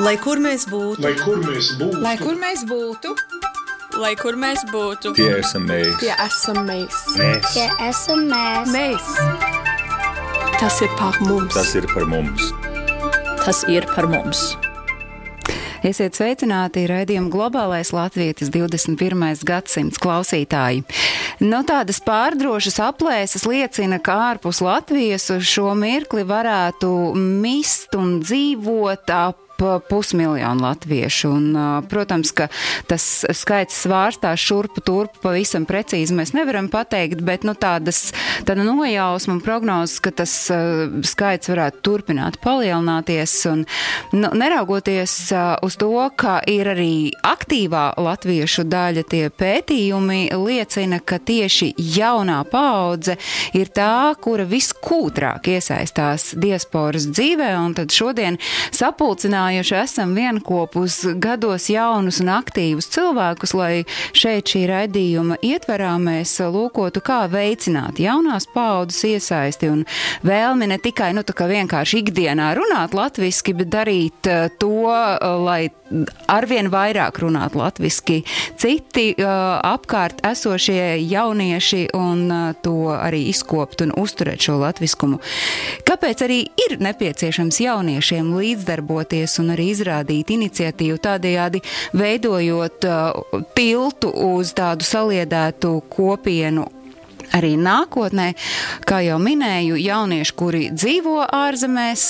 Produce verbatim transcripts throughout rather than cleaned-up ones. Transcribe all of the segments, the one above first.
Lai kur mēs būtu, Lai kur mēs būtu, Lai kur mēs būtu, Lai kur mēs būtu, Tie esam mēs. tie esam mēs. Mēs. Tie esam mēs. Mēs. Tas ir par mums. Tas ir par mums. Tas ir par mums. Esiet sveicināti raidījuma Globālais Latvietis divdesmit pirmais gadsimts klausītāji. No tādas pārdrošas aplēses liecina, ka ārpus Latvijas uz šo mirkli varētu mist un dzīvot ap pusmiljonu latviešu. Un, protams, ka tas skaits svārstās šurpu turpu pavisam precīzi mēs nevaram pateikt, bet nu, tādas, tāda nojausma un prognozes, ka tas skaits varētu turpināt palielināties. Un, nu, neraugoties uz to, ka ir arī aktīvā latviešu daļa, tie pētījumi liecina, ka tieši jaunā paudze ir tā, kura viskūtrāk iesaistās diasporas dzīvē, un tad šodien sapulcinājumi esam vienkopus gados jaunus un aktīvus cilvēkus, lai šeit šī raidījuma ietverā mēs lūkotu, kā veicināt jaunās paaudzes iesaisti un vēlmi ne tikai, nu, tā kā vienkārši ikdienā runāt latviski, bet darīt to, lai arvien vairāk runāt latviski citi uh, apkārt esošie jaunieši un uh, to arī izkopt un uzturēt šo latviskumu. Kāpēc arī ir nepieciešams jauniešiem līdzdarboties un arī izrādīt iniciatīvu, tādējādi veidojot uh, tiltu uz tādu saliedētu kopienu arī nākotnē, kā jau minēju, jaunieši, kuri dzīvo ārzemēs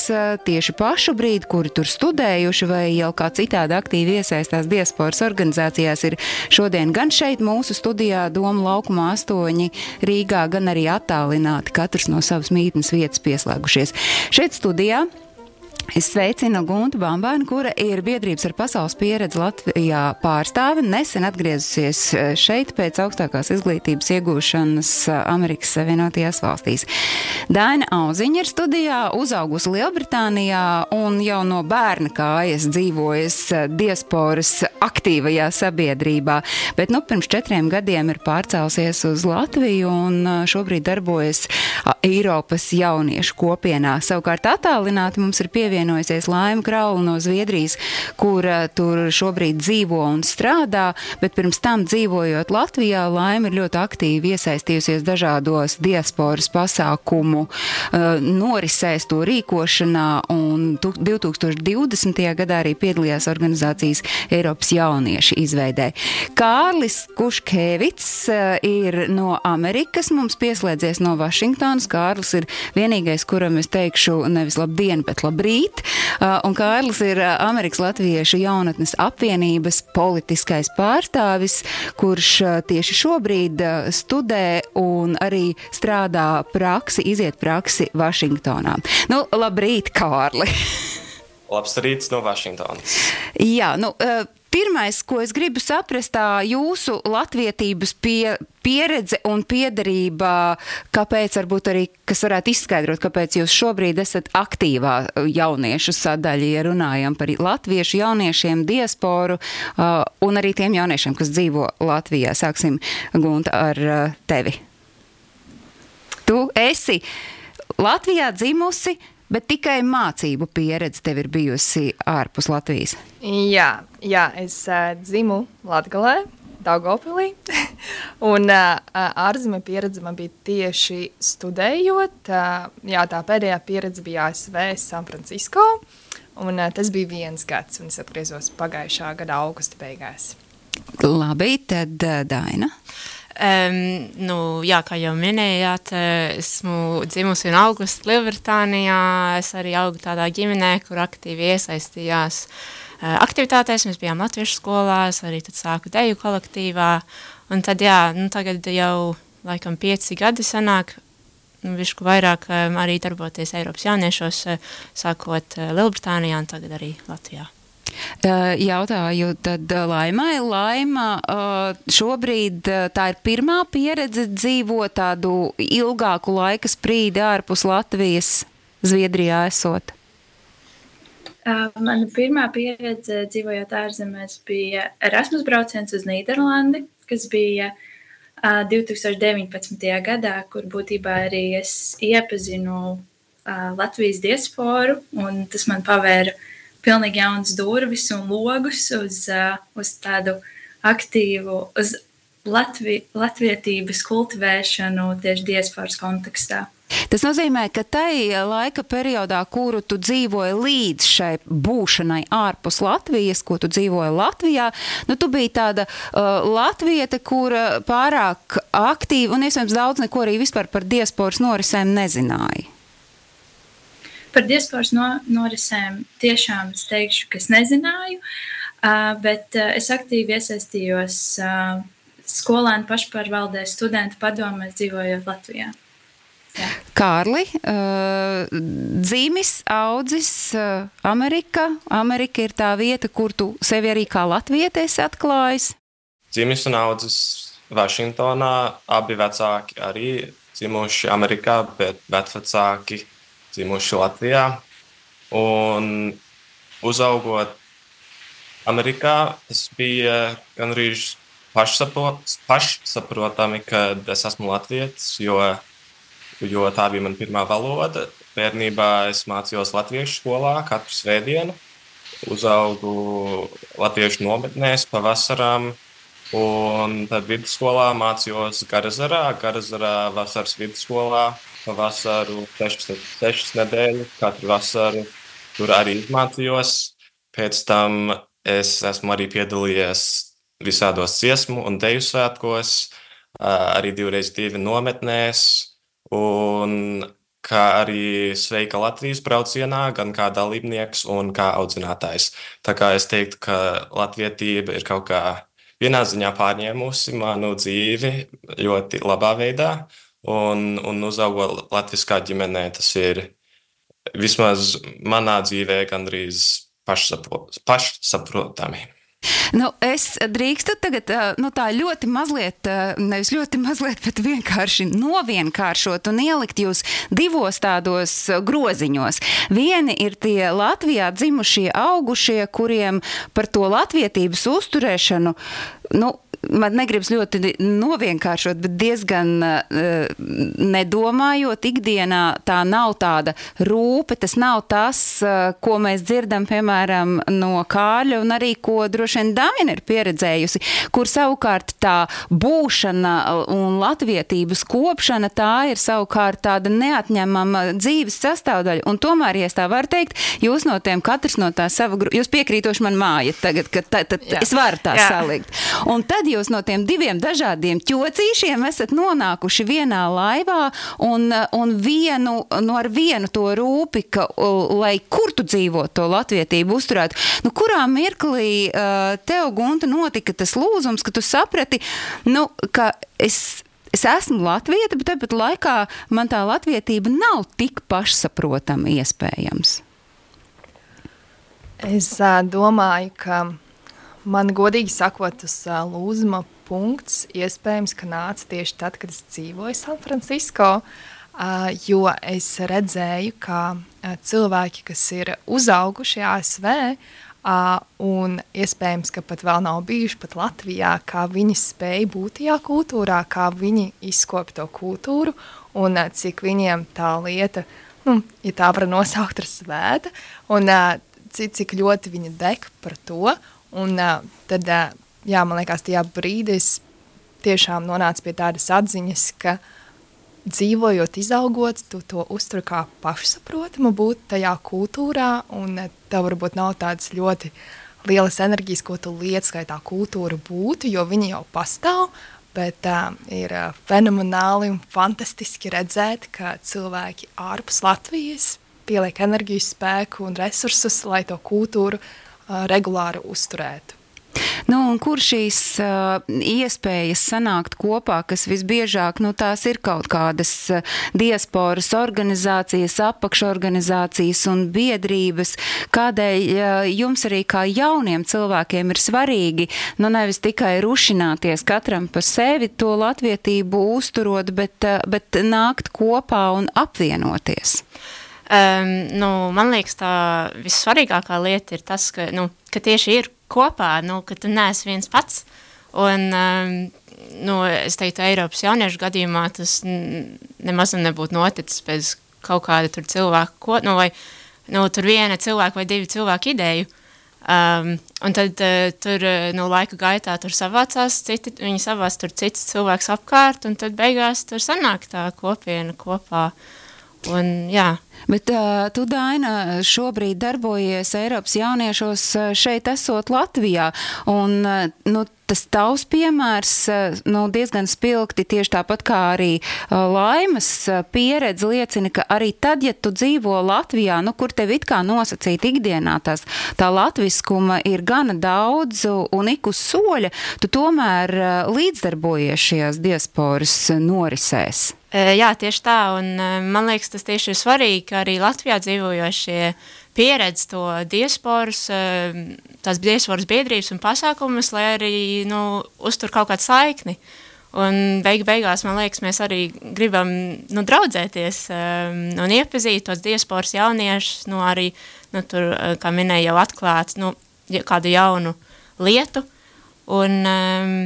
tieši pašu brīdi, kuri tur studējuši vai jau kā citādi aktīvi iesaistās diasporas organizācijās, ir šodien gan šeit mūsu studijā Doma laukumā astoņi Rīgā, gan arī attālināti, katrs no savas mītnes vietas pieslēgušies. Šeit studijā es sveicinu Guntu Bambānu, kura ir biedrības ar pasaules pieredzi Latvijā pārstāve, nesen atgriezusies šeit pēc augstākās izglītības iegūšanas Amerikas Savienotajās valstīs. Daina Auziņa ir studijā, uzaugusi Lielbritānijā un jau no bērna kājas dzīvojas diasporas aktīvajā sabiedrībā, bet nu pirms četriem gadiem ir pārcēlusies uz Latviju un šobrīd darbojas Eiropas jauniešu kopienā. Savukārt attālināti mums ir pievienojusies Laima Kraula no Zviedrijas, kur tur šobrīd dzīvo un strādā, bet pirms tam dzīvojot Latvijā, Laima ir ļoti aktīvi iesaistījusies dažādos diasporas pasākumu norisēs, to rīkošanā, un divi tūkstoši divdesmitajā gadā arī piedalījās organizācijas Eiropas jaunieši izveidē. Kārlis Kuškēvits ir no Amerikas, mums pieslēdzies no Vašingtonas. Kārlis ir vienīgais, kuram es teikšu nevis labdien, bet labrīt. Un Kārlis ir Amerikas Latviešu jaunatnes apvienības politiskais pārstāvis, kurš tieši šobrīd studē un arī strādā praksi, iziet praksi Vašingtonā. Nu, labrīt, Kārli! Labs rīts no Vašingtonas. Jā, nu, pirmais, ko es gribu saprast, tā jūsu latvietības pie, pieredze un piederība, kāpēc varbūt arī, kas varētu izskaidrot, kāpēc jūs šobrīd esat aktīvā jauniešu sadaļa, ja runājam par latviešu jauniešiem, diasporu uh, un arī tiem jauniešiem, kas dzīvo Latvijā. Sāksim, Gunta, ar uh, tevi. Tu esi Latvijā dzimusi, bet tikai mācību pieredze tev ir bijusi ārpus Latvijas. Jā, jā es uh, dzimu Latgalē, Daugavpilī, un uh, ārzemē pieredze man bija tieši studējot. Uh, jā, tā pēdējā pieredze bija A S V, San Francisco, un uh, tas bija viens gads, un es atgriezos pagājušā gada augusta beigās. Labi, tad uh, Daina. Um, nu, jā, kā jau minējāt, esmu dzimusi un augusi Lielbritānijā. Es arī augu tādā ģimenē, kur aktīvi iesaistījās uh, aktivitātēs. Mēs bijām latviešu skolās, arī tad sāku deju kolektīvā. Un tad, jā, nu, tagad jau laikam pieci gadi sanāk, nu, višku vairāk um, arī darboties Eiropas jauniešos, uh, sākot uh, Lielbritānijā un tagad arī Latvijā. Jautāju tad Laimai. Laima, šobrīd tā ir pirmā pieredze dzīvot tādu ilgāku laika sprīdi ārpus Latvijas, Zviedrijā esot? Mana pirmā pieredze dzīvojot ārzemēs bija Erasmus brauciens uz Nīderlandi, kas bija divi tūkstoši deviņpadsmitajā gadā, kur būtībā arī es iepazinu Latvijas diasporu, un tas man pavēra pilnīgi jaunas durvis un logus uz, uh, uz tādu aktīvu, uz Latvi, latvietības kultivēšanu tieši diasporas kontekstā. Tas nozīmē, ka tai laika periodā, kuru tu dzīvoji līdz šai būšanai ārpus Latvijas, ko tu dzīvoji Latvijā, nu tu biji tāda uh, latviete, kura pārāk aktīva un iespējams daudz neko arī vispār par diasporas norisēm nezināja. Par diasporas no, norisēm tiešām es teikšu, ka es nezināju, uh, bet uh, es aktīvi iesaistījos uh, skolēnu pašpārvaldē, studentu padomēs dzīvojot Latvijā. Jā. Kārli, uh, dzīmis, audzis, uh, Amerika. Amerika ir tā vieta, kur tu sevi arī kā latvieti esi atklājis. Dzīmis un audzis Vašingtonā, abi vecāki arī dzimuši Amerikā, bet vecvecāki dzimuši Latvijā. Un uzaugot Amerikā, tas bija gandrīz pašsaprotami, kad es esmu latvietis, jo jo tā bija mana pirmā valoda. Bērnībā es mācījos latviešu skolā katru svētdienu, uzaugu latviešu nometnēs pavasarām, un tad vidusskolā mācījos Garazarā, Garazarā vasaras vidusskolā, pavasaru sešas, sešas nedēļas, katru vasaru tur arī izmācījos. Pēc tam es esmu arī piedalījies visādos dziesmu un deju svētkos, arī divreiz divi nometnēs, un kā arī Sveika Latvijas braucienā, gan kā dalībnieks un kā audzinātājs. Tā kā es teiktu, ka latvietība ir kaut kā vienā ziņā pārņēmusi manu dzīvi ļoti labā veidā, un, un uzaugot latviskā ģimenē, tas ir vismaz manā dzīvē gandrīz pašsaprotami. Nu, es drīkstu tagad, nu tā ļoti mazliet, nevis ļoti mazliet, bet vienkārši novienkāršot un ielikt jūs divos tādos groziņos. Vieni ir tie Latvijā dzimušie, augušie, kuriem par to latvietības uzturēšanu, nu, man negribas ļoti novienkāršot, bet diezgan uh, nedomājot ikdienā, tā nav tāda rūpe, tas nav tas, uh, ko mēs dzirdam, piemēram, no Kārļa un arī, ko droši vien Damina ir pieredzējusi, kur savukārt tā būšana un latvietības kopšana, tā ir savukārt tāda neatņemama dzīves sastāvdaļa. Un tomēr, ja es tā varu teikt, jūs no tiem, katrs no tā sava, jūs piekrītoši man māja tagad, ka tā, tā, tā, es varu tā Jā. salikt. Un tad jūs no tiem diviem dažādiem ķocīšiem esat nonākuši vienā laivā un, un vienu, no ar vienu to rūpi, ka, lai kur tu dzīvo to latvietību uzturētu. Nu, kurā mirklī uh, tev, Gunta, notika tas lūzums, ka tu saprati, nu, ka es Es esmu latvieta, bet tāpat laikā man tā latvietība nav tik pašsaprotama iespējams. Es uh, domāju, ka man godīgi sakot, tas uh, lūzuma punkts iespējams, ka nāca tieši tad, kad es dzīvoju San Francisco, uh, jo es redzēju, ka uh, cilvēki, kas ir uzauguši A S V, Uh, un iespējams, ka pat vēl nav bijuši pat Latvijā, kā viņi spēja būt tajā kultūrā, kā viņi izkopja to kultūru un uh, cik viņiem tā lieta, nu, ja tā var nosaukt ar svēta, un uh, cik, cik ļoti viņi deg par to. Un uh, tad, uh, jā, man liekas, tajā brīdī es tiešām nonācu pie tādas atziņas, ka dzīvojot, izaugot, tu to uztur kā pašsaprotamu būt tajā kultūrā, un tev varbūt nav tādas ļoti lielas enerģijas, ko tu liec, lai tā kultūra būtu, jo viņi jau pastāv, bet uh, ir uh, fenomenāli un fantastiski redzēt, ka cilvēki ārpus Latvijas pieliek enerģiju, spēku un resursus, lai to kultūru uh, regulāri uzturētu. Nu, un kur šīs uh, iespējas sanākt kopā, kas visbiežāk, nu, tās ir kaut kādas uh, diasporas organizācijas, apakšorganizācijas un biedrības, kādēļ uh, jums arī kā jauniem cilvēkiem ir svarīgi, nu, nevis tikai rušināties katram pa sevi to latvietību uzturot, bet, uh, bet nākt kopā un apvienoties? Um, nu, man liekas, tā vissvarīgākā lieta ir tas, ka, nu, ka tieši ir kopā, nu, ka tu neesi viens pats. Un, um, nu, es teiktu, Eiropas jauniešu gadījumā tas nemaz nebūtu noticis bez kaut kāda tur cilvēku, ko, nu, vai nu, tur viena cilvēka vai divi cilvēku ideju. Um, un tad uh, tur uh, nu, laika gaitā tur savācās, citi, viņi savāc tur cits cilvēks apkārt, un tad beigās tur sanāk tā kopiena kopā. Un, jā. Bet uh, tu, Daina, šobrīd darbojies Eiropas jauniešos šeit esot Latvijā, un uh, nu, tas tavs piemērs uh, nu, diezgan spilgti, tieši tāpat kā arī uh, Laimas uh, pieredze liecina, ka arī tad, ja tu dzīvo Latvijā, nu, kur tev it kā nosacīt ikdienā tās, tā latviskuma ir gana daudz un ik uz soļa, tu tomēr uh, līdzdarbojies šajās diasporas norisēs. Jā, tieši tā, un man liekas, tas tieši ir svarīgi, ka arī Latvijā dzīvojošie pieredz to diasporas, tās diasporas biedrības un pasākumus, lai arī, nu, uztur kaut kādu saikni. Un beig beigās, man liekas, mēs arī gribam, nu, draudzēties un iepazīt tos diasporas jauniešus, nu, arī, nu, tur, kā minēju, jau atklāt, nu, kādu jaunu lietu, un um,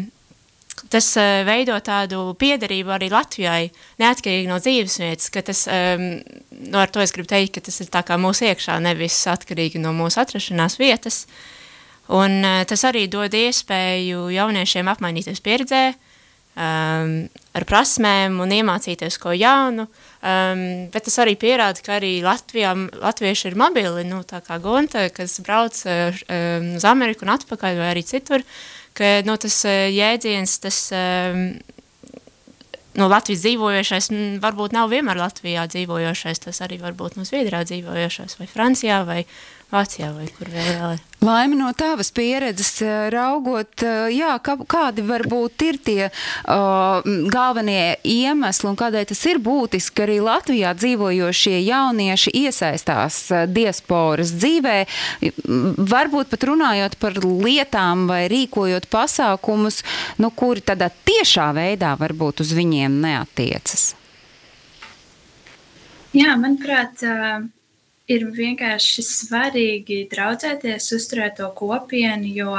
tas uh, veido tādu piederību arī Latvijai, neatkarīgi no dzīvesvietas, ka tas, um, no ar to es gribu teikt, ka tas ir tā kā mūsu iekšā, nevis atkarīgi no mūsu atrašanās vietas. Un uh, tas arī dod iespēju jauniešiem apmainīties pieredzē, um, ar prasmēm un iemācīties ko jaunu, um, bet tas arī pierāda, ka arī Latvijā, latvieši ir mobili, nu, tā kā Gunta, kas brauc uh, um, uz Ameriku un atpakaļ vai arī citur, ka nu, tas jēdziens, tas nu, Latvijas dzīvojošais, varbūt nav vienmēr Latvijā dzīvojošais, tas arī varbūt no Zviedrijā dzīvojošais, vai Francijā, vai Vācijā, vai kur vēl vēl ir. Laima, no tavas pieredzes raugot, jā, kā, kādi varbūt ir tie uh, galvenie iemesli un kādēļ tas ir būtiski, ka arī Latvijā dzīvojošie jaunieši iesaistās diasporas dzīvē, varbūt pat runājot par lietām vai rīkojot pasākumus, nu, kuri tādā tiešā veidā varbūt uz viņiem neatiecas? Jā, manuprāt, uh... ir vienkārši svarīgi draudzēties, uzturēt to kopienu, jo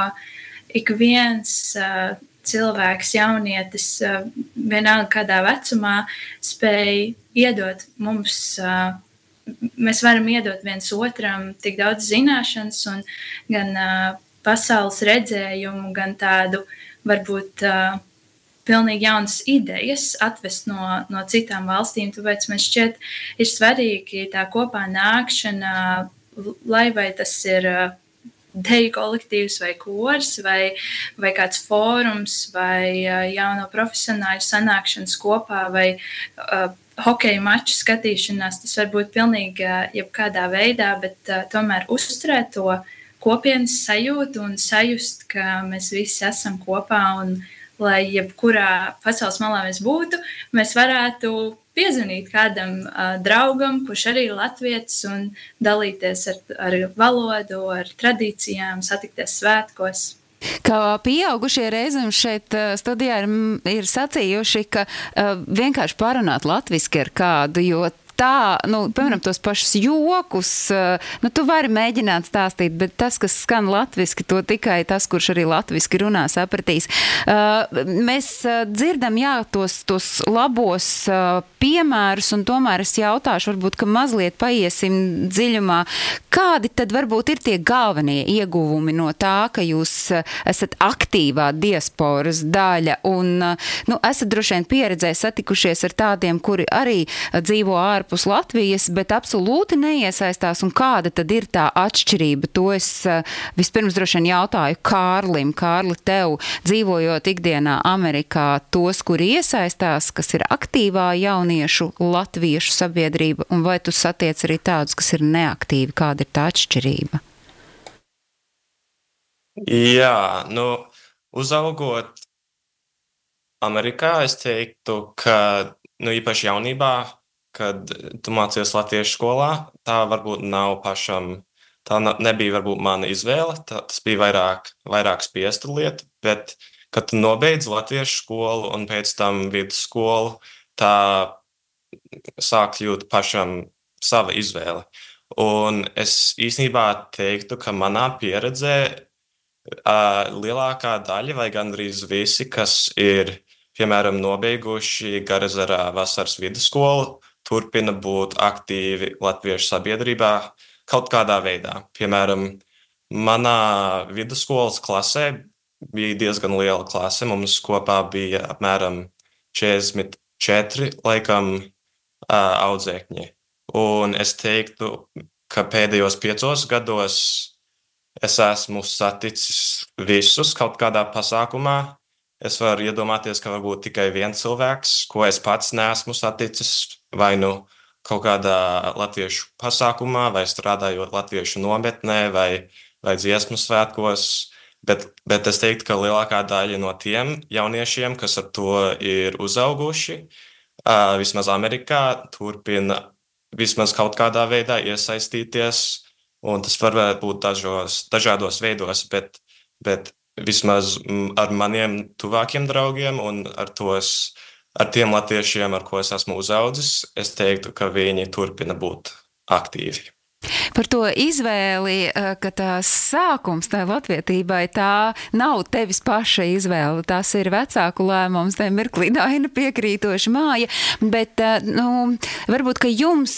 ik viens uh, cilvēks, jaunietis, uh, vienalga kādā vecumā, spēj iedot mums, uh, mēs varam iedot viens otram tik daudz zināšanas un gan uh, pasaules redzējumu, gan tādu varbūt uh, pilnīgi jaunas idejas atvest no, no citām valstīm, tāpēc man šķiet ir svarīgi tā kopā nākšana, lai vai tas ir deju kolektīvs vai kors, vai, vai kāds fórums, vai jauno profesionāļu sanākšanas kopā, vai uh, hokeja maču skatīšanās, tas var būt pilnīgi jebkādā veidā, bet uh, tomēr uzturēt to kopienas sajūtu un sajust, ka mēs visi esam kopā un lai jebkurā pasaules malā mēs būtu, mēs varētu piezvanīt kādam uh, draugam, kurš arī ir latvietis, un dalīties ar, ar valodu, ar tradīcijām, satikties svētkos. Kā pieaugušie reizēm šeit studijā ir, ir sacījuši, ka uh, vienkārši parunāt latviski ar kādu, jo tā, nu, piemēram, tos pašus jokus, nu, tu vari mēģināt stāstīt, bet tas, kas skan latviski, to tikai tas, kurš arī latviski runā, sapratīs. Mēs dzirdam, jā, tos, tos labos piemērus, un tomēr es jautāšu, varbūt, ka mazliet paiesim dziļumā, kādi tad varbūt ir tie galvenie ieguvumi no tā, ka jūs esat aktīvā diasporas daļa, un, nu, esat droši vien pieredzē satikušies ar tādiem, kuri arī dzīvo ārpus ārpus Latvijas, bet absolūti neiesaistās, un kāda tad ir tā atšķirība? To es vispirms droši vien jautāju Kārlim. Kārli, tev, dzīvojot ikdienā Amerikā, tos, kuri iesaistās, kas ir aktīvā jauniešu latviešu sabiedrība, un vai tu satiec arī tādus, kas ir neaktīvi? Kāda ir tā atšķirība? Jā, nu, uzaugot Amerikā, es teiktu, ka, nu, īpaši jaunībā, kad tu mācies latviešu skolā, tā varbūt nav pašam, tā nebija varbūt mana izvēle, tā, tas bija vairāk, vairāk spiesta lieta, bet, kad tu nobeidz latviešu skolu un pēc tam vidusskolu, tā sāk kļūt pašam sava izvēle. Un es īstenībā teiktu, ka manā pieredzē uh, lielākā daļa vai gandrīz visi, kas ir, piemēram, nobeiguši Garazarā vasaras vidusskolu, turpina būt aktīvi latviešu sabiedrībā, kaut kādā veidā. Piemēram, manā vidusskolas klasē bija diezgan liela klase. Mums kopā bija apmēram četrdesmit četri laikam audzēkņi. Un es teiktu, ka pēdējos piecos gados es esmu saticis visus kaut kādā pasākumā. Es varu iedomāties, ka varbūt tikai viens cilvēks, ko es pats neesmu saticis, vai nu kaut kādā latviešu pasākumā, vai strādājot latviešu nometnē, vai, vai dziesmu svētkos. Bet, bet es teiktu, ka lielākā daļa no tiem jauniešiem, kas ar to ir uzauguši, uh, vismaz Amerikā, turpina vismaz kaut kādā veidā iesaistīties, un tas var būt dažos, dažādos veidos, bet, bet vismaz ar maniem tuvākiem draugiem un ar, tos, ar tiem latviešiem, ar ko es esmu uzaudzis, es teiktu, ka viņi turpina būt aktīvi. Par to izvēli, ka tās sākums tai latvietībai, tā nav tevis paša izvēle, tās ir vecāku lēmums, te mirklī Daina piekrītoši māja, bet, nu, varbūt, ka jums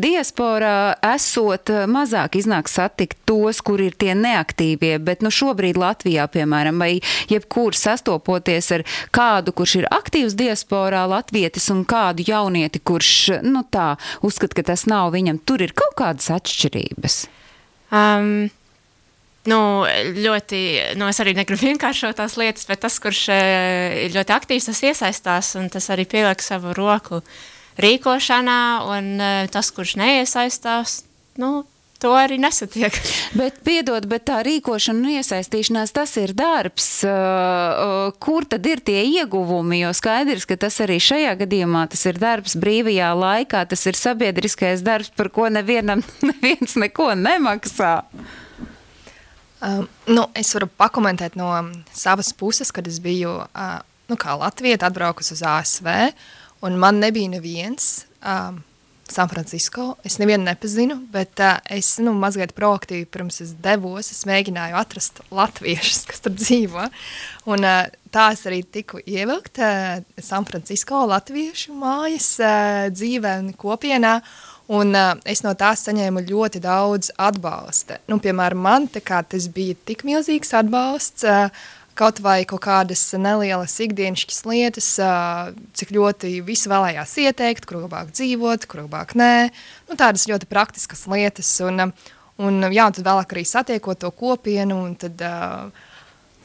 diasporā esot mazāk iznāk satikt tos, kur ir tie neaktīvie, bet, nu, šobrīd Latvijā, piemēram, vai jebkur sastopoties ar kādu, kurš ir aktīvs diasporā latvietis un kādu jaunieti, kurš, nu, tā, uzskat, ka tas nav viņam, tur ir kaut kādas atšķirības? Um, nu, ļoti, nu, es arī negribu vienkāršot tās lietas, bet tas, kurš ir ļoti aktīvs, tas iesaistās, un tas arī pieliek savu roku rīkošanā, un tas, kurš neiesaistās, nu, to arī nesatiek. Bet, piedod, bet tā rīkošana un iesaistīšanās, tas ir darbs. Kur tad ir tie ieguvumi? Jo skaidrs, ka tas arī šajā gadījumā, tas ir darbs brīvajā laikā, tas ir sabiedriskais darbs, par ko nevienam neviens neko nemaksā. Um, nu, es varu pakomentēt no savas puses, kad es biju, uh, nu, kā latvieta atbraukus uz A S V, un man nebija neviens, um, San Francisco. Es nevienu nepazinu, bet uh, es, nu, mazliet proaktīvi pirms es devos, es mēģināju atrast latviešus, kas tur dzīvo. Un uh, tā es arī tiku ievilkt uh, San Francisco latviešu mājas uh, dzīvē un kopienā. Un uh, es no tās saņēmu ļoti daudz atbalsta. Nu, piemēram, man tā kā tas bija tik milzīgs atbalsts, uh, kaut vai kaut kādas nelielas ikdienišķas lietas, cik ļoti visi vēlējās ieteikt, kur labāk dzīvot, kur labāk nē. Nu, tādas ļoti praktiskas lietas. Un, un, jā, un tad vēlāk arī satiekot to kopienu, un tad uh,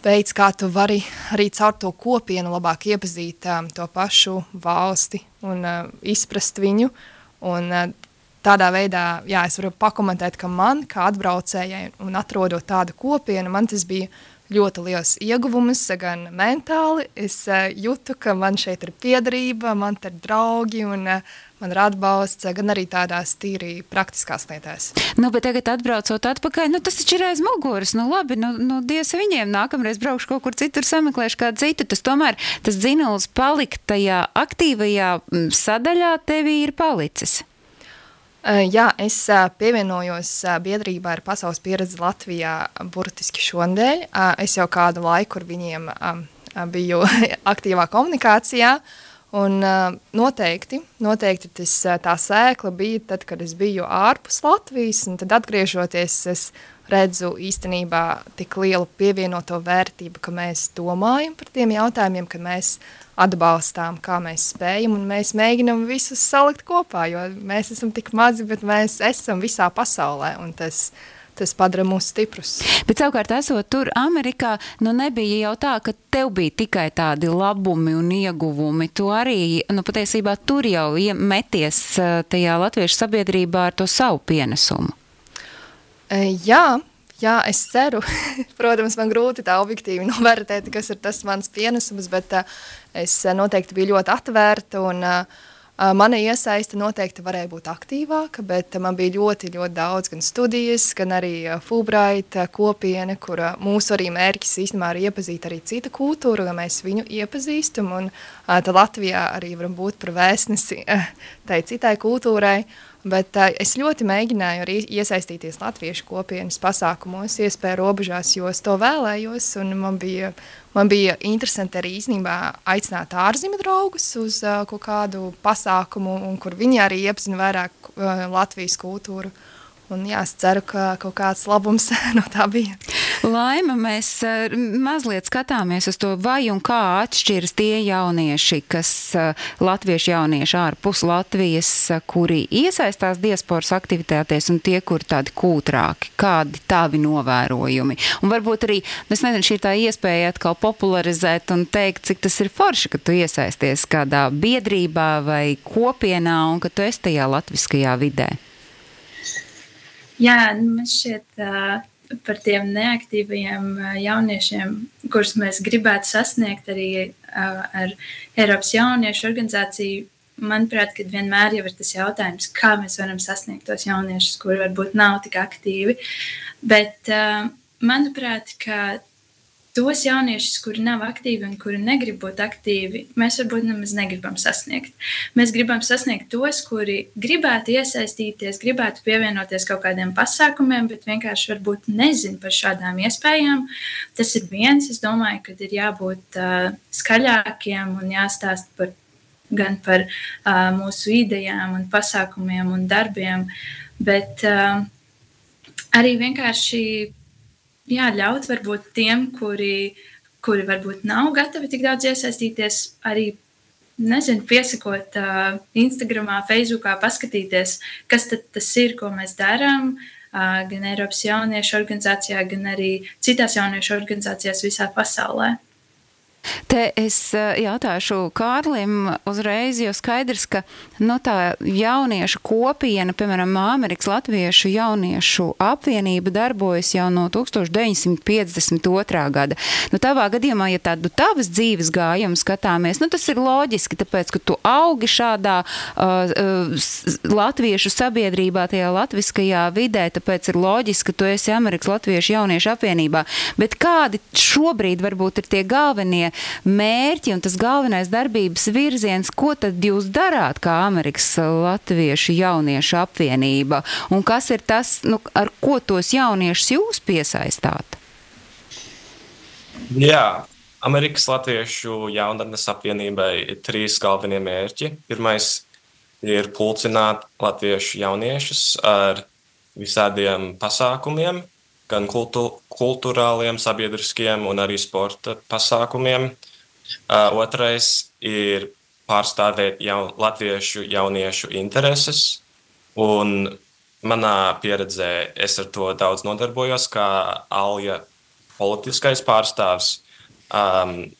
veids, kā tu vari arī caur to kopienu labāk iepazīt uh, to pašu valsti un uh, izprast viņu. Un, uh, tādā veidā, jā, es varu pakomentēt, ka man, kā atbraucējai un atrodot tādu kopienu, man tas bija ļoti liels ieguvums, gan mentāli. Es uh, jūtu, ka man šeit ir piederība, man te ir draugi un uh, man ir atbalsts, gan arī tādās tīri praktiskās lietās. Nu, bet tagad atbraucot atpakaļ, nu tas taču ir aiz muguras, nu labi, nu, nu Dievs viņiem, nākamreiz braukšu kaut kur citur, sameklēšu kādu citu, tas tomēr, tas dzinuls palikt tajā aktīvajā sadaļā tevī ir palicis. Jā, es pievienojos biedrībā ar Pasaules pieredzi Latvijā burtiski šonadēļ. Es jau kādu laiku ar viņiem biju aktīvā komunikācijā, un noteikti, noteikti tas, tā sēkla bija tad, kad es biju ārpus Latvijas, un tad atgriežoties, es redzu īstenībā tik lielu pievienoto vērtību, ka mēs domājam par tiem jautājumiem, ka mēs atbalstām, kā mēs spējam, un mēs mēģinam visus salikt kopā, jo mēs esam tik mazi, bet mēs esam visā pasaulē, un tas, tas padara mūs stiprus. Bet savukārt, esot tur Amerikā, nu nebija jau tā, ka tev bija tikai tādi labumi un ieguvumi. Tu arī, nu patiesībā tur jau meties tajā latviešu sabiedrībā ar to savu pienesumu. Jā, jā, es ceru. Protams, man grūti tā objektīvi novērtēt, kas ir tas mans pienesums, bet uh, es noteikti biju ļoti atvērta un uh, mana iesaiste noteikti varēja būt aktīvāka, bet man bija ļoti, ļoti daudz gan studijas, gan arī uh, Fulbright kopiena, kur uh, mūsu arī mērķis īstenībā ir iepazīt arī citu kultūru, lai mēs viņu iepazīstam, un uh, tad Latvijā arī varam būt par vēstnesi uh, tai citai kultūrai. Bet uh, es ļoti mēģināju arī iesaistīties latviešu kopienas pasākumos, iespēju robežās, jo es to vēlējos, un man bija, man bija interesanti arī īstenībā aicināt ārzemju draugus uz uh, kaut kādu pasākumu, un kur viņi arī iepazina vairāk uh, Latvijas kultūru. Un, jā, es ceru, ka kaut kāds labums no tā bija. Laima, mēs mazliet skatāmies uz to, vai un kā atšķiras tie jaunieši, kas latviešu jaunieši ārpus Latvijas, kuri iesaistās diasporas aktivitātēs, un tie, kuri tādi kūtrāki, kādi tavi novērojumi. Un varbūt arī, es nezinu, šī tā iespēja atkal popularizēt un teikt, cik tas ir forši, ka tu iesaisties kādā biedrībā vai kopienā un ka tu esi tajā latviskajā vidē. Jā, man šķiet uh, par tiem neaktīvajiem uh, jauniešiem, kurus mēs gribētu sasniegt arī uh, ar Eiropas jauniešu organizāciju. Manuprāt, kad vienmēr jau ir tas jautājums, kā mēs varam sasniegt tos jauniešus, kuri varbūt nav tik aktīvi. Bet, uh, manuprāt, ka tos jauniešus, kuri nav aktīvi un kuri negrib būt aktīvi, mēs varbūt nemaz negribam sasniegt. Mēs gribam sasniegt tos, kuri gribētu iesaistīties, gribētu pievienoties kaut kādiem pasākumiem, bet vienkārši varbūt nezin par šādām iespējām. Tas ir viens, es domāju, ka ir jābūt uh, skaļākiem un jāstāst par, gan par uh, mūsu idejām un pasākumiem un darbiem, bet uh, arī vienkārši jā, ļaut varbūt tiem, kuri, kuri varbūt nav gatavi tik daudz iesaistīties, arī, nezinu, piesakot uh, Instagramā, Facebookā, paskatīties, kas tad tas ir, ko mēs darām, uh, gan Eiropas jauniešu organizācijā, gan arī citās jauniešu organizācijās visā pasaulē. Te es jautāšu Kārlim uzreiz, jo skaidrs, ka nu, tā jauniešu kopiena, piemēram, Amerikas Latviešu jauniešu apvienība darbojas jau no tūkstoš deviņsimt piecdesmit otrā gada. Nu, tavā gadījumā, ja tādu tavas dzīves gājumu skatāmies, nu, tas ir loģiski, tāpēc, ka tu augi šādā uh, latviešu sabiedrībā, tajā latviskajā vidē, tāpēc ir loģiski, ka tu esi Amerikas Latviešu jauniešu apvienībā. Bet kādi šobrīd varbūt ir tie galvenie mērķi un tas galvenais darbības virziens, ko tad jūs darāt kā Amerikas Latviešu jauniešu apvienība? Un kas ir tas, nu, ar ko tos jauniešus jūs piesaistāt? Jā, Amerikas Latviešu jaunatnes apvienībai ir trīs galvenie mērķi. Pirmais ir pulcināt latviešu jauniešus ar visādiem pasākumiem, gan kultu, kulturāliem, sabiedriskiem un arī sporta pasākumiem. Uh, otrais ir pārstāvēt jaun, latviešu jauniešu intereses, un manā pieredzē es ar to daudz nodarbojos, kā Alja politiskais pārstāvs, um,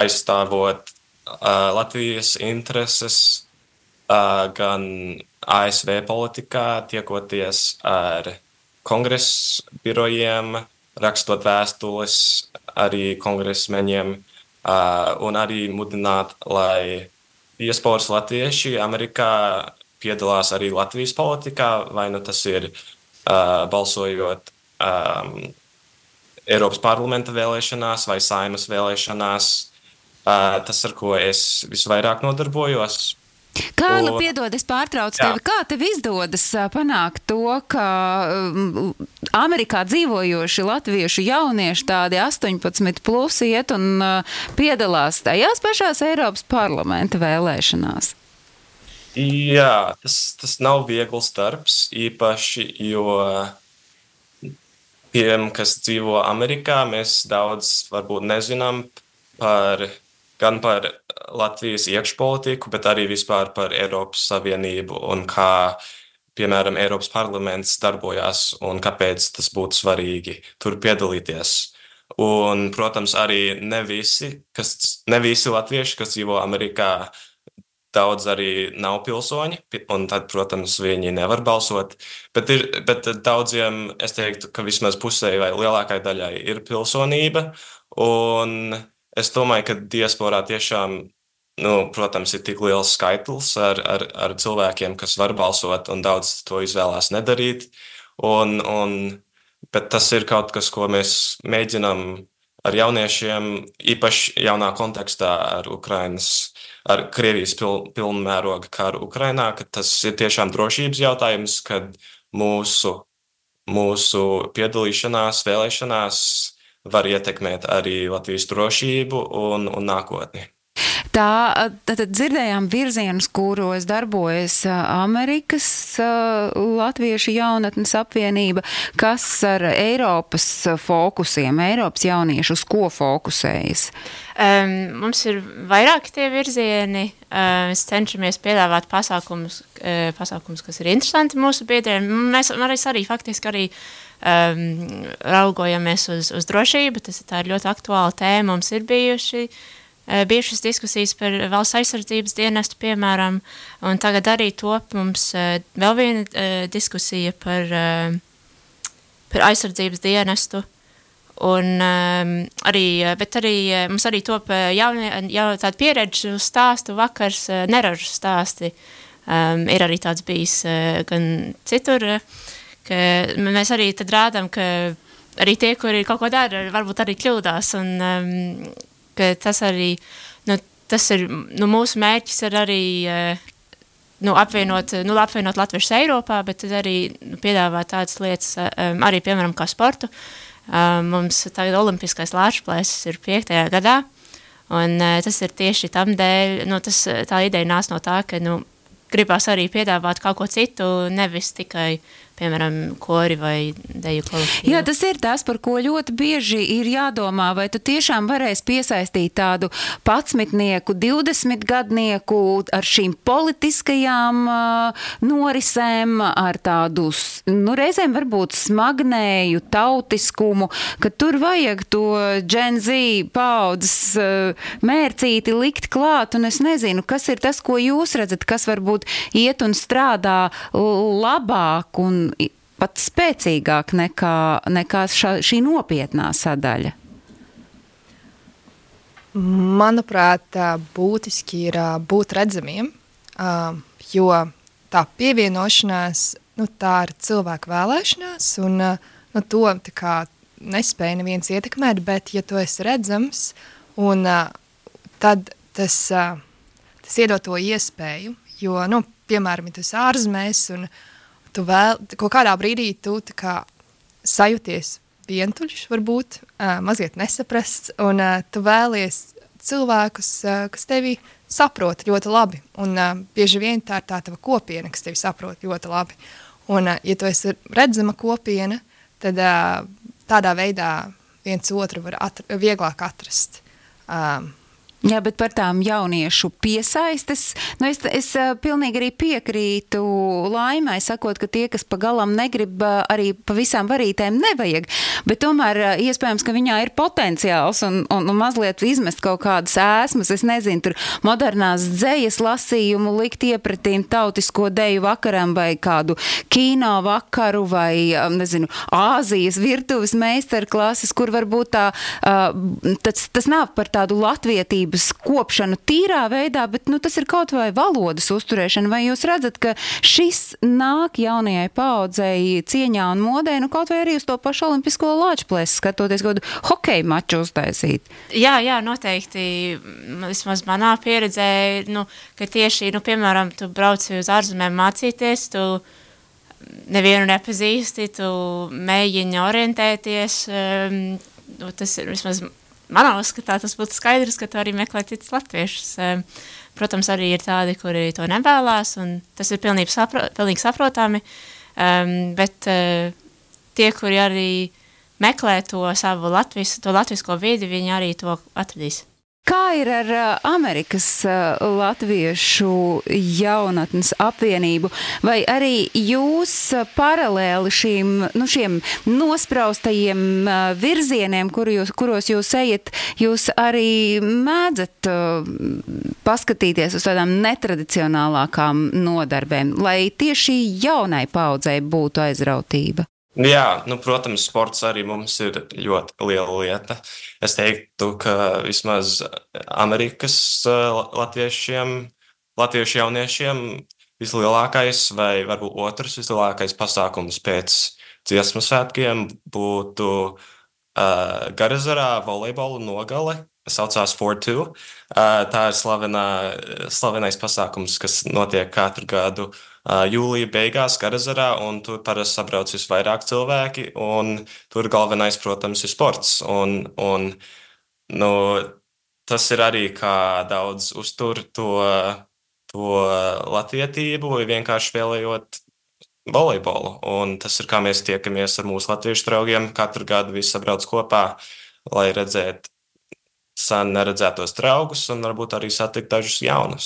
aizstāvot uh, Latvijas intereses, uh, gan A S V politikā, tiekoties ar kongresa birojiem, rakstot vēstules arī kongresmeņiem uh, un arī mudināt, lai diasporas latvieši Amerikā piedalās arī Latvijas politikā, vai nu tas ir uh, balsojot um, Eiropas parlamenta vēlēšanās vai Saimas vēlēšanās. Uh, tas, ar ko es visvairāk nodarbojos. Kārli, piedod, es pārtraucu tevi. Kā tev izdodas panākt to, ka Amerikā dzīvojoši latviešu jaunieši tādi astoņpadsmit plus iet un piedalās tajās pašās Eiropas parlamenta vēlēšanās? Jā, tas, tas nav viegls darbs, īpaši, jo tiem, kas dzīvo Amerikā, mēs daudz varbūt nezinām par gan par Latvijas iekšpolitiku, bet arī vispār par Eiropas Savienību un kā, piemēram, Eiropas parlaments darbojās un kāpēc tas būtu svarīgi tur piedalīties. Un, protams, arī ne visi, kas, ne visi latvieši, kas dzīvo Amerikā, daudz arī nav pilsoņi, un tad, protams, viņi nevar balsot. Bet, ir, bet daudziem, es teiktu, ka vismaz pusē vai lielākai daļai ir pilsonība, un es domāju, ka diasporā tiešām, nu, protams, ir tik liels skaitlis ar, ar, ar cilvēkiem, kas var balsot, un daudz to izvēlās nedarīt. Un, un, bet tas ir kaut kas, ko mēs mēģinām ar jauniešiem, īpaši jaunā kontekstā ar Ukrainas, ar Krievijas pil, pilnmēroga karu Ukrainā, ka tas ir tiešām drošības jautājums, kad mūsu, mūsu piedalīšanās, vēlēšanās var ietekmēt arī Latvijas drošību un, un nākotni. Tā, tad dzirdējām virzienus, kuros darbojas Amerikas Latviešu jaunatnes apvienība, kas ar Eiropas fokusiem, Eiropas jauniešu, uz ko fokusējas? Um, mums ir vairāki tie virzieni. Uh, mēs cenšamies piedāvāt pasākumus, uh, pasākumus, kas ir interesanti mūsu biedriem. Mēs, mēs arī faktiski arī um, raugojamies uz, uz drošību. Tas tā ir ļoti aktuāla tēma. Mums ir bijuši, uh, bijušas diskusijas par valsts aizsardzības dienestu, piemēram, un tagad arī top mums uh, vēl viena uh, diskusija par, uh, par aizsardzības dienestu. Un, um, arī, bet arī mums arī top jaunie, jau tāda pieredžu stāstu vakars, neražu stāsti. Um, ir arī tāds bijis uh, gan citur, ka mēs arī tad rādām, ka arī tie, kuri kaut ko dara, varbūt arī kļūdās. Un um, ka tas arī, nu, tas ir, nu, mūsu mērķis ir arī uh, nu, apvienot, nu, apvienot latviešus Eiropā, bet tad arī nu, piedāvāt tādas lietas um, arī, piemēram, kā sportu. Uh, mums tagad olimpiskais lāčplēsis ir piektajā gadā, un uh, tas ir tieši tam dēļ, nu, tas, tā ideja nāc no tā, ka, nu, gribās arī piedāvāt kaut ko citu, nevis tikai, piemēram, kori vai deju kolektīvu. Jā, tas ir tas, par ko ļoti bieži ir jādomā, vai tu tiešām varēsi piesaistīt tādu padsmitnieku, divdesmitgadnieku ar šīm politiskajām uh, norisēm, ar tādu, nu, reizēm varbūt smagnēju tautiskumu, ka tur vajag to Gen Z paudzes uh, mērcīti likt klāt, un es nezinu, kas ir tas, ko jūs redzat, kas varbūt iet un strādā labāk un pat spēcīgāk nekā, nekā ša, šī nopietnā sadaļa? Manuprāt, būtiski ir būt redzamiem, jo tā pievienošanās, nu, tā ir cilvēku vēlēšanās, un nu, to tā kā nespēja neviens ietekmēt, bet ja tu esi redzams, un tad tas, tas iedod to iespēju, jo, nu, piemēram, ja tu esi ārzemēs, un tu vēl, kaut kādā brīdī tu tā kā sajūties vientuļš, varbūt, uh, mazliet nesaprasts, un uh, tu vēlies cilvēkus, uh, kas tevi saprot ļoti labi, un uh, bieži vien tā ir tā tava kopiena, kas tevi saprot ļoti labi. Un, uh, ja tu esi redzama kopiena, tad uh, tādā veidā viens otru var atra- vieglāk atrast. Um, Jā, bet par tām jauniešu piesaistes, nu es, es pilnīgi arī piekrītu Laimai, sakot, ka tie, kas pagalam negrib, arī pa visām varītēm nevajag, bet tomēr iespējams, ka viņā ir potenciāls un, un, un mazliet izmest kaut kādas ēsmas, es nezinu, tur modernās dzejas lasījumu likt iepratīm tautisko deju vakaram vai kādu kino vakaru vai, nezinu, Āzijas virtuves meistarklases, kur varbūt tā, tas, tas nav par tādu latvietību kopšanu tīrā veidā, bet nu, tas ir kaut vai valodas uzturēšana. Vai jūs redzat, ka šis nāk jaunajai paaudzei cieņā un modē, nu kaut vai arī uz to pašu olimpisko lāčplēsi skatoties, kaut kādu hokeju maču uztaisīt? Jā, jā, noteikti. Vismaz manā pieredzē, nu, ka tieši, nu, piemēram, tu brauci uz ārzemēm mācīties, tu nevienu nepazīsti, tu mēģini orientēties, um, nu, tas ir vismaz manā uzskatā tas būtu skaidrs, ka tu arī meklē citus latviešus. Protams, arī ir tādi, kuri to nevēlās, un tas ir pilnīgi, sapro, pilnīgi saprotami, um, bet uh, tie, kuri arī meklē to savu latvis, to latvisko vidi, viņi arī to atradīs. Kā ir ar Amerikas latviešu jaunatnes apvienību? Vai arī jūs paralēli šīm, nu, šiem nospraustajiem virzieniem, kur jūs, kuros jūs ejat, jūs arī mēdzat paskatīties uz tādām netradicionālākām nodarbēm, lai tieši jaunai paudzei būtu aizrautība? Jā, nu, protams, sports arī mums ir ļoti liela lieta. Es teiktu, ka vismaz Amerikas latviešiem, latviešu jauniešiem vislielākais vai varbūt otrs vislielākais pasākums pēc dziesmu svētkiem būtu uh, Garazarā volejbola nogale. Saucās four two. Uh, tā ir slavenā, slavenais pasākums, kas notiek katru gadu uh, jūlija beigās Garazarā, un tur parasti sabrauc visvairāk cilvēki, un tur galvenais, protams, ir sports. Un, un, nu, tas ir arī, kā daudz uztur to, to latvietību, vienkārši spēlējot volejbolu. Un tas ir, kā mēs tiekamies ar mūsu latviešu draugiem. Katru gadu visi sabrauc kopā, lai redzētu sen neredzētos draugus un varbūt arī satikt dažus jaunus.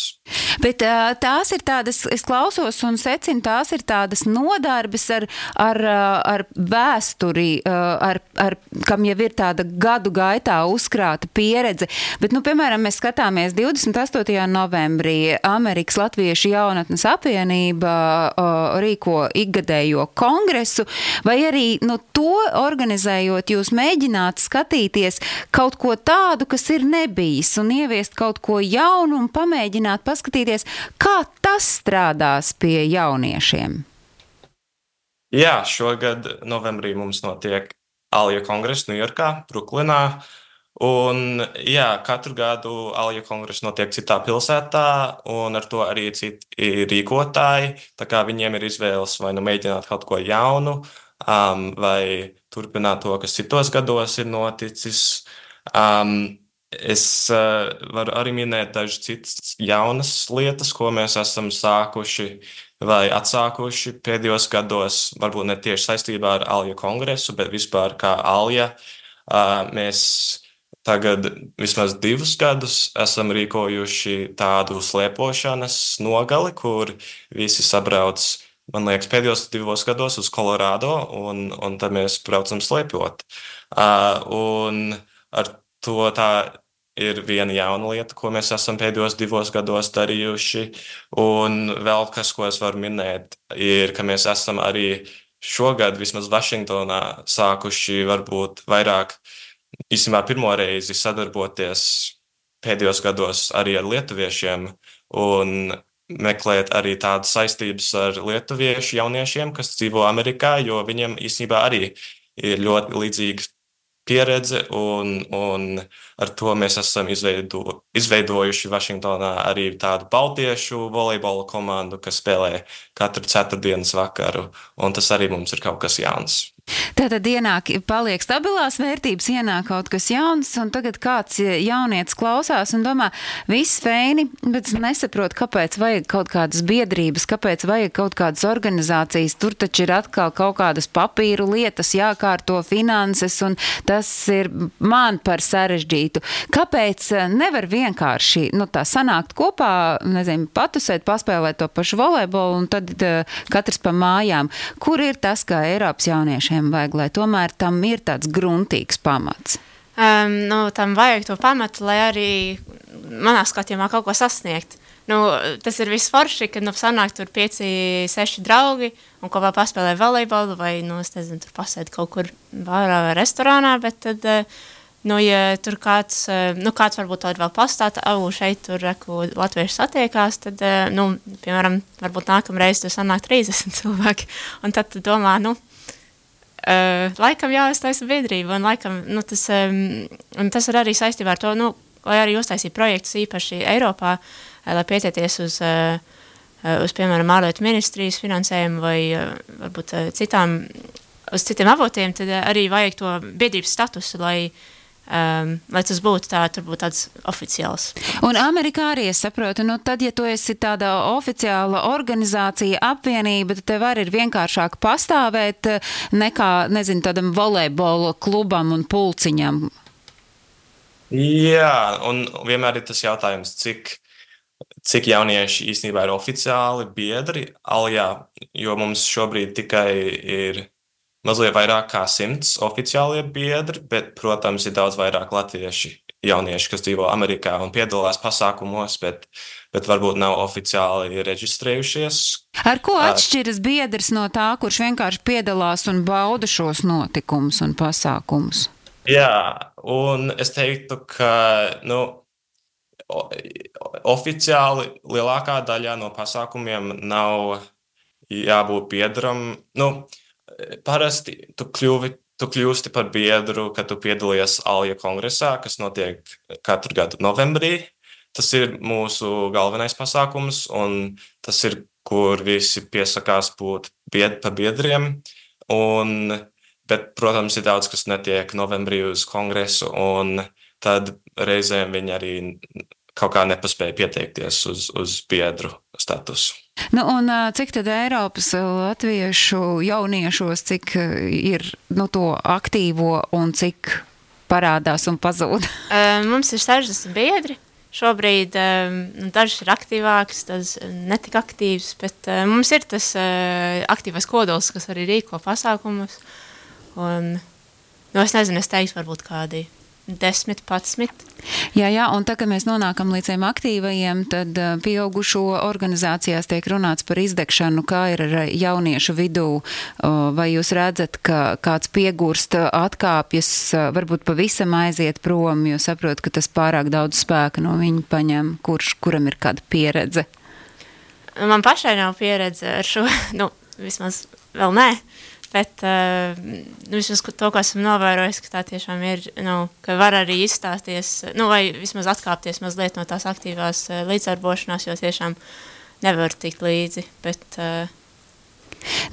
Bet tās ir tādas, es klausos un secinu, tās ir tādas nodarbes ar, ar, ar vēsturi, ar, ar, kam jau ir tāda gadu gaitā uzkrāta pieredze. Bet, nu, piemēram, mēs skatāmies divdesmit astotajā novembrī Amerikas Latviešu jaunatnes apvienība rīko ikgadējo kongresu, vai arī, nu, to organizējot, jūs mēģināt skatīties kaut ko tādu, kas ir nebijis, un ieviest kaut ko jaunu un pamēģināt paskatīties, kā tas strādās pie jauniešiem. Jā, šogad novembrī mums notiek Alja kongress Ņujorkā, Bruklinā, un jā, katru gadu Alja kongress notiek citā pilsētā, un ar to arī citi rīkotāji, tā kā viņiem ir izvēles vai nu mēģināt kaut ko jaunu, um, vai turpināt to, kas citos gados ir noticis. Um, Es uh, varu arī minēt dažas citas jaunas lietas, ko mēs esam sākuši vai atsākuši pēdējos gados, varbūt ne tieši saistībā ar Alja kongresu, bet vispār kā Alja. Uh, mēs tagad vismaz divus gadus esam rīkojuši tādu slēpošanas nogali, kur visi sabrauc, man liekas, pēdējos divos gados uz Kolorādo, un, un tad mēs braucam slēpjot. Uh, un ar to tā ir viena jauna lieta, ko mēs esam pēdējos divos gados darījuši. Un vēl kas, ko es varu minēt, ir, ka mēs esam arī šogad vismaz Vašingtonā sākuši varbūt vairāk, īstenībā pirmo reizi sadarboties pēdējos gados arī ar lietuviešiem un meklēt arī tādas saistības ar lietuviešu jauniešiem, kas dzīvo Amerikā, jo viņiem īstenībā arī ir ļoti līdzīgas pieredze, un, un ar to mēs esam izveido, izveidojuši Vašingtonā arī tādu baltiešu volejbola komandu, kas spēlē katru ceturtdienas vakaru, un tas arī mums ir kaut kas jauns. Tātad ienāk, paliek stabilās vērtības, ienāk kaut kas jauns, un tagad kāds jaunietis klausās un domā, viss feini, bet nesaprot, kāpēc vajag kaut kādas biedrības, kāpēc vajag kaut kādas organizācijas, tur taču ir atkal kaut kādas papīru lietas, jākārto finanses, un tas ir man par sarežģītu. Kāpēc nevar vienkārši, nu tā sanākt kopā, nezinu, patusēt, paspēlēt to pašu volejbolu, un tad uh, katrs pa mājām? Kur ir tas, kā Eiropas jauniešiem vajag, lai tomēr tam ir tāds gruntīgs pamats? Um, nu, tam vajag to pamatu, lai arī manā skatījumā kaut ko sasniegt. Nu, tas ir viss forši, kad nu, sanāk tur pieci, seši draugi un kopā paspēlē volejbolu vai, nu, es nezinu, tur pasēd kaut kur bārā vai restorānā, bet tad, nu, ja tur kāds, nu, kāds varbūt tad vēl pastāta, au, šeit tur, reku, latvieši satiekās, tad, nu, piemēram, varbūt nākamreiz tur sanāk trīsdesmit cilvēki, un tad tu domā, nu, Uh, laikam jāuztaisa biedrība, un laikam, nu, tas, um, un tas ir arī saistībā ar to, nu, lai arī uztaisītu projektus īpaši Eiropā, lai pietieties uz, uh, uz, piemēram, ārlietu ministrijas finansējumu vai uh, varbūt uh, citām, uz citiem avotiem, tad uh, arī vajag to biedrības statusu, lai Um, lai tas būtu tā, turbūt tāds oficiāls. Un Amerikā arī es saprotu, nu tad, ja tu esi tāda oficiāla organizācija, apvienība, tad tev arī ir vienkāršāk pastāvēt nekā, nezinu, tādam volejbola klubam un pulciņam. Jā, un vienmēr ir tas jautājums, cik, cik jaunieši īstenībā ir oficiāli biedri Aljā, jo mums šobrīd tikai ir mazliet vairāk kā simts oficiālie biedri, bet, protams, ir daudz vairāk latvieši jaunieši, kas dzīvo Amerikā un piedalās pasākumos, bet, bet varbūt nav oficiāli reģistrējušies. Ar ko atšķiras biedrs no tā, kurš vienkārši piedalās un bauda šos notikumus un pasākumus? Jā, un es teiktu, ka, nu, oficiāli lielākā daļā no pasākumiem nav jābūt biedram, nu, parasti tu, kļuvi, tu kļūsti par biedru, kad tu piedalies Alja kongresā, kas notiek katru gadu novembrī. Tas ir mūsu galvenais pasākums, un tas ir, kur visi piesakās būt bied, par biedriem. Un, bet, protams, ir daudz, kas netiek novembrī uz kongresu, un tad reizēm viņi arī kaut kā nepaspēja pieteikties uz, uz biedru statusu. Nu, un cik tad Eiropas latviešu jauniešos, cik ir nu, to aktīvo un cik parādās un pazūd? Mums ir sešdesmit biedri. Šobrīd um, dažs ir aktīvāks, tas netik aktīvs, bet uh, mums ir tas uh, aktīvais kodols, kas arī rīko pasākumus. Un, nu, es nezinu, es teiktu, varbūt kādi desmit, padsmit. Jā, jā, un tā, kad mēs nonākam līdz tiem aktīvajiem, tad uh, pieaugušo organizācijās tiek runāts par izdegšanu, kā ir ar jauniešu vidū. Uh, vai jūs redzat, ka kāds piegurst, atkāpjas, uh, varbūt pavisam aiziet prom, jo saprot, ka tas pārāk daudz spēka no viņa paņem, kurš, kuram ir kāda pieredze? Man pašai nav pieredze ar šo, nu, vismaz vēl nē. Bet uh, nu, vismaz to, ko esmu novērojis, ka tā tiešām ir, nu, ka var arī izstāties, nu, vai vismaz atkāpties mazliet no tās aktīvās uh, līdzdarbošanās, jo tiešām nevar tikt līdzi, bet... Uh,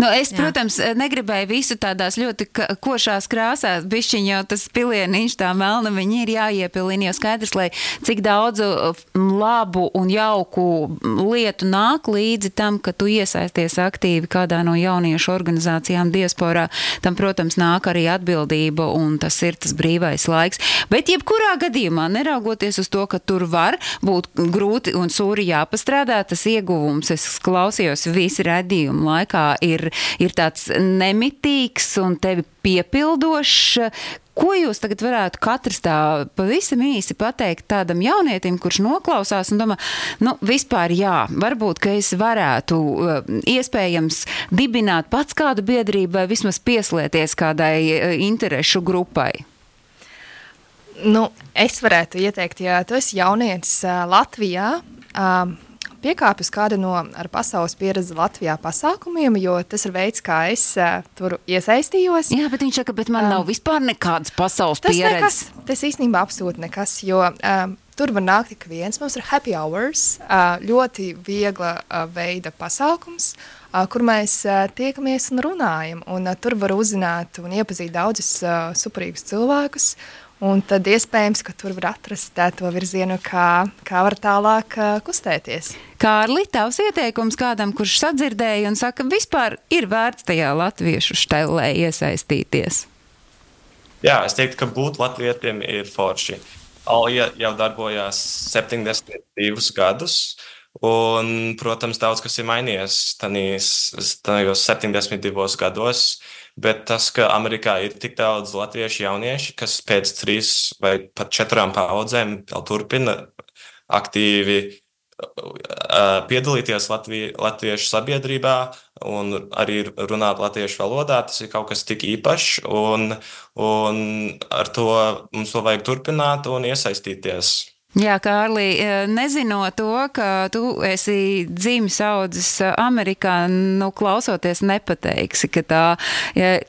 Nu, es, jā. protams, negribēju visu tādās ļoti košās krāsās, bišķiņ jau tas pilieniņš tā melna, viņi ir jāiepilina, jo skaidrs, lai cik daudz labu un jauku lietu nāk līdzi tam, ka tu iesaisties aktīvi kādā no jauniešu organizācijām diasporā, tam, protams, nāk arī atbildība un tas ir tas brīvais laiks. Bet jebkurā gadījumā, neraugoties uz to, ka tur var būt grūti un sūri jāpastrādā, tas ieguvums, es klausījos visi raidījumu laikā, ir, ir tāds nemitīgs un tevi piepildošs. Ko jūs tagad varētu katrs tā pavisam īsi pateikt tādam jaunietim, kurš noklausās un domā, nu, vispār jā, varbūt, ka es varētu iespējams dibināt pats kādu biedrību vai vismaz pieslēties kādai interešu grupai? Nu, es varētu ieteikt, ja tu esi jaunietis Latvijā, um, piekāpju uz kādu no ar pasaules pieredzi Latvijā pasākumiem, jo tas ir veids, kā es uh, tur iesaistījos. Jā, bet viņš saka, bet man um, nav vispār nekādas pasaules tas pieredzes. Nekas, tas īstenībā absolūti nekas, jo um, tur var nākt tik viens. Mums ir happy hours, uh, ļoti viegla uh, veida pasākums, uh, kur mēs uh, tiekamies un runājam. Un uh, tur var uzzināt un iepazīt daudzus uh, superīgus cilvēkus. Un tad iespējams, ka tur var atrast to virzienu, kā, kā var tālāk uh, kustēties. Kārli, tavs ieteikums kādam, kurš sadzirdēja un saka, vispār ir vērts tajā latviešu štelē iesaistīties? Jā, es teiktu, ka būt latvietiem ir forši. Alja jau darbojās septiņdesmit divus gadus, un, protams, daudz kas ir mainījies tajos septiņdesmit divos gados, bet tas, ka Amerikā ir tik daudz latviešu jaunieši, kas pēc trīs vai pat četrām paudzēm vēl turpina aktīvi uh, piedalīties Latvie, latviešu sabiedrībā un arī runāt latviešu valodā, tas ir kaut kas tik īpašs, un, un ar to mums to vajag turpināt un iesaistīties. Jā, Kārli, nezinot to, ka tu esi dzimis audzis Amerikā, nu, klausoties nepateiksi, ka tā,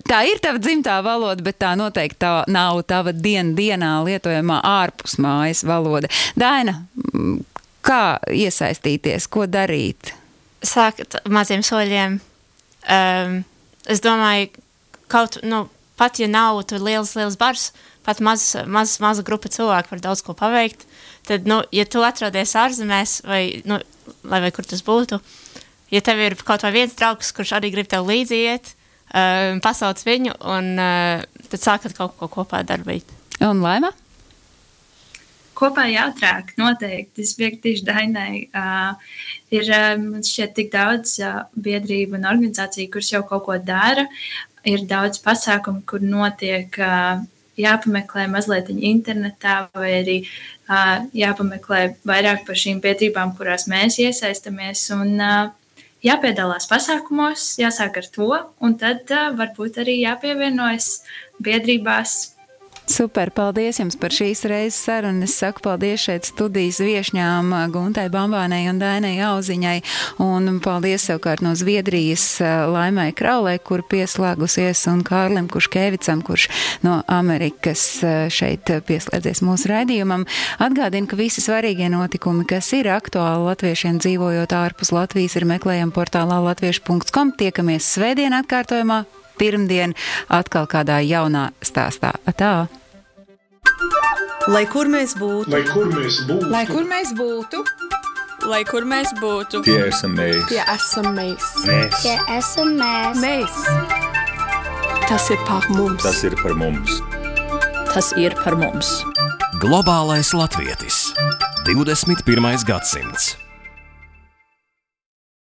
tā ir tava dzimtā valoda, bet tā noteikti tā nav tava dienu dienā lietojamā ārpus mājas valoda. Daina, kā iesaistīties, ko darīt? Sākat maziem soļiem. Um, es domāju, kaut, nu, pat ja nav tur liels, liels bars, pat maz, maz, maza grupa cilvēku var daudz ko paveikt. Tad, nu, ja tu atrodies ārzemēs, vai, nu, lai vai kur tas būtu, ja tev ir kaut vai viens draugs, kurš arī grib tev līdzi iet, uh, pasauc viņu, un uh, tad sākat kaut ko kopā darbīt. Un Laima? Kopā jātrāk, noteikti. Es piekritīšu Dainai. Uh, ir, man šķiet, tik daudz uh, biedrību un organizāciju, kuras jau kaut ko dara. Ir daudz pasākumu, kur notiek... Uh, jāpameklē mazliet internetā vai arī uh, jāpameklē vairāk par šīm biedrībām, kurās mēs iesaistamies un uh, jāpiedalās pasākumos, jāsāk ar to un tad uh, varbūt arī jāpievienojas biedrībās. Super, paldies jums par šīs reizes sarunu. Es saku paldies šeit studijas viešņām Guntai Bambānei un Dainai Auziņai, un paldies savukārt no Zviedrijas Laimai Kraulē, kur pieslēgusies, un Kārlim Kuškēvicam, kurš no Amerikas šeit pieslēdzies mūsu raidījumam. Atgādinu, ka visi svarīgie notikumi, kas ir aktuāli latviešiem dzīvojot ārpus Latvijas, ir meklējami portālā latviešu punkts com. Tiekamies svētdien atkārtojumā, pirmdien atkal kādā jaunā stāstā. Atā! Lai kur mēs būtu, Lai kur mēs būtu, Lai kur mēs būtu, Lai kur mēs būtu, tie esam mēs. tie esam mēs. Mēs. Tie esam mēs. Mēs. Tas ir par mums. Tas ir par mums. tas ir par mums. Globālais latvietis. divdesmit pirmais gadsimts.